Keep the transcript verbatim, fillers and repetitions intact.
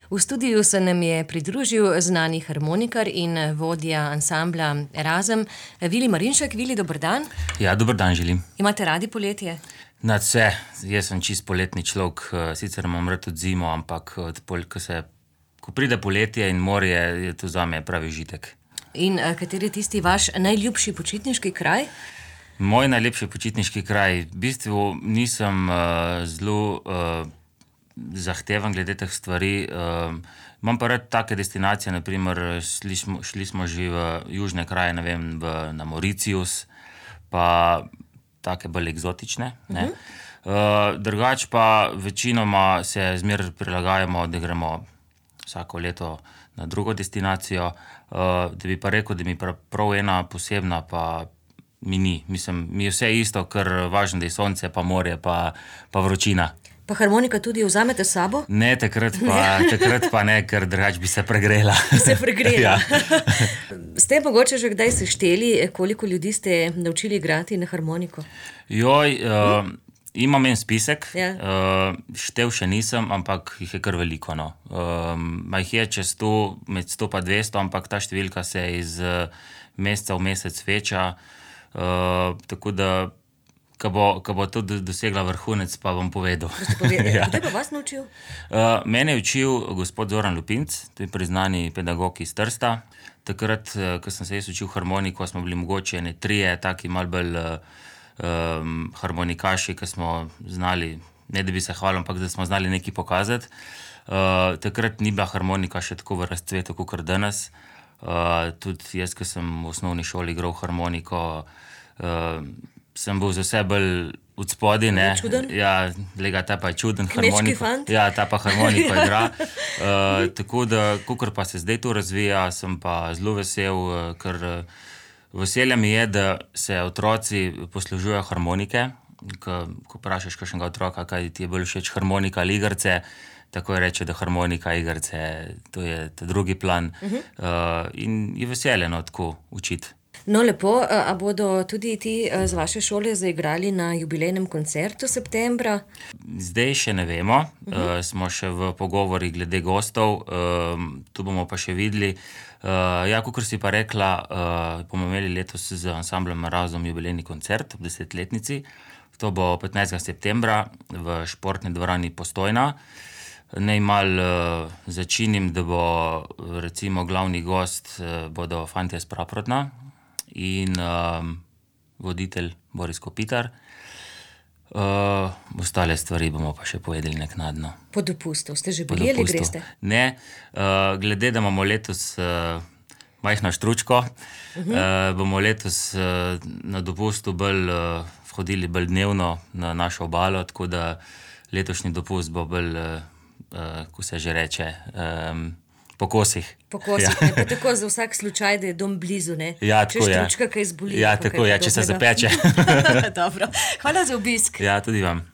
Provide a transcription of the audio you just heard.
V studiu se nam je pridružil znani harmonikar in vodja ansambla Razem, Vili Marinšek. Vili, dober dan. Ja, dober dan želim. Imate radi poletje? Nadvse, jaz sem čist poletni človek, sicer imam rad tudi zimo, ampak ko, se, ko pride poletje in morje, je to zame pravi užitek. In kateri je tisti vaš najljubši počitniški kraj? Moj najlepši počitniški kraj, v bistvu nisem uh, zelo uh, zahteven glede teh stvari. Uh, imam pa rad take destinacije, naprimer šli smo, šli smo že v južne kraje, ne vem, v, na Mauritius, pa take bolj eksotične. Ne? Uh -huh. uh, drugač pa večinoma se zmer prilagajamo, da gremo vsako leto na drugo destinacijo. Uh, da bi pa rekel, da mi prav, prav ena posebna pa mi ni. Mislim, mi je vse isto, ker važno, da je sonce, pa morje, pa, pa vročina. Pa harmonika tudi vzamete s sabo? Ne, takrat pa, takrat pa ne, ker drugač bi se pregrela. Se pregrela. Ja. Ste mogoče že kdaj sešteli, koliko ljudi ste naučili igrati na harmoniko? Joj, uh, hm? imam en spisek, ja. uh, štev še nisem, ampak jih je kar veliko. No. Uh, jih je čez sto, med sto pa dvesto, ampak ta številka se iz uh, meseca v mesec veča. Uh, tako da, ko bo, ko bo tudi dosegla vrhunec, pa bom povedal. Ja. Kdo je pa vas naučil? Uh, mene je učil gospod Zoran Lupinc, to je priznani pedagog iz Trsta. Takrat, uh, ko sem se jaz učil harmoniko, smo bili mogoče ene trije, taki malo bolj uh, um, harmonikaši, ki smo znali, ne da bi se hvalil, ampak da smo znali nekaj pokazati. Uh, takrat ni bila harmonika še tako v razcvetu, kot danes. Uh, tudi jaz, ko sem v osnovni šoli igral harmoniko, uh, sem bil za vse bolj od spodaj, ne. Čuden? Ja, lega, ta pa je čuden. Kmečki fant? Ja, ta pa harmoniko igra. Uh, tako da, kakor pa se zdaj to razvija, sem pa zelo vesel, ker uh, veselja mi je, da se otroci poslužujejo harmonike. Ko, ko vprašaš kakšnega otroka, kaj ti je bolj všeč, harmonika ali igrce, tako je reče, da harmonika, igrce, to je ta drugi plan. Uh -huh. uh, in je veseljeno tako učiti. No, lepo. A bodo tudi ti z vaše šole zaigrali na jubilejnem koncertu septembra? Zdaj še ne vemo. Uh -huh. uh, smo še v pogovori glede gostov. Uh, tu bomo pa še videli. Uh, ja, kakor si pa rekla, uh, bomo imeli letos z ansamblom Razem jubilejni koncert ob desetletnici. To bo petnajstega septembra v športni dvorani Postojna. Naj malo uh, začinim, da bo recimo glavni gost uh, bodo fantje s Praprotna in uh, voditelj Boris Kopitar. Uh, ostale stvari bomo pa še povedali naknadno. Po dopustu ste že bili ali greste? Ne, uh, glede, da imamo letos uh, majhno štručko, uh -huh. uh, bomo letos uh, na dopustu bolj uh, hodili bolj dnevno na našo obalo, tako da letošnji dopust bo bolj uh, Uh, ko se že reče, um, po kosih. Po kosih, ja. Pa tako za vsak slučaj, da je dom blizu, ne? Ja, če tako je. Če štručka kaj zboli. Ja, tako je, če se zapeče. Dobro, hvala za obisk. Ja, tudi vam.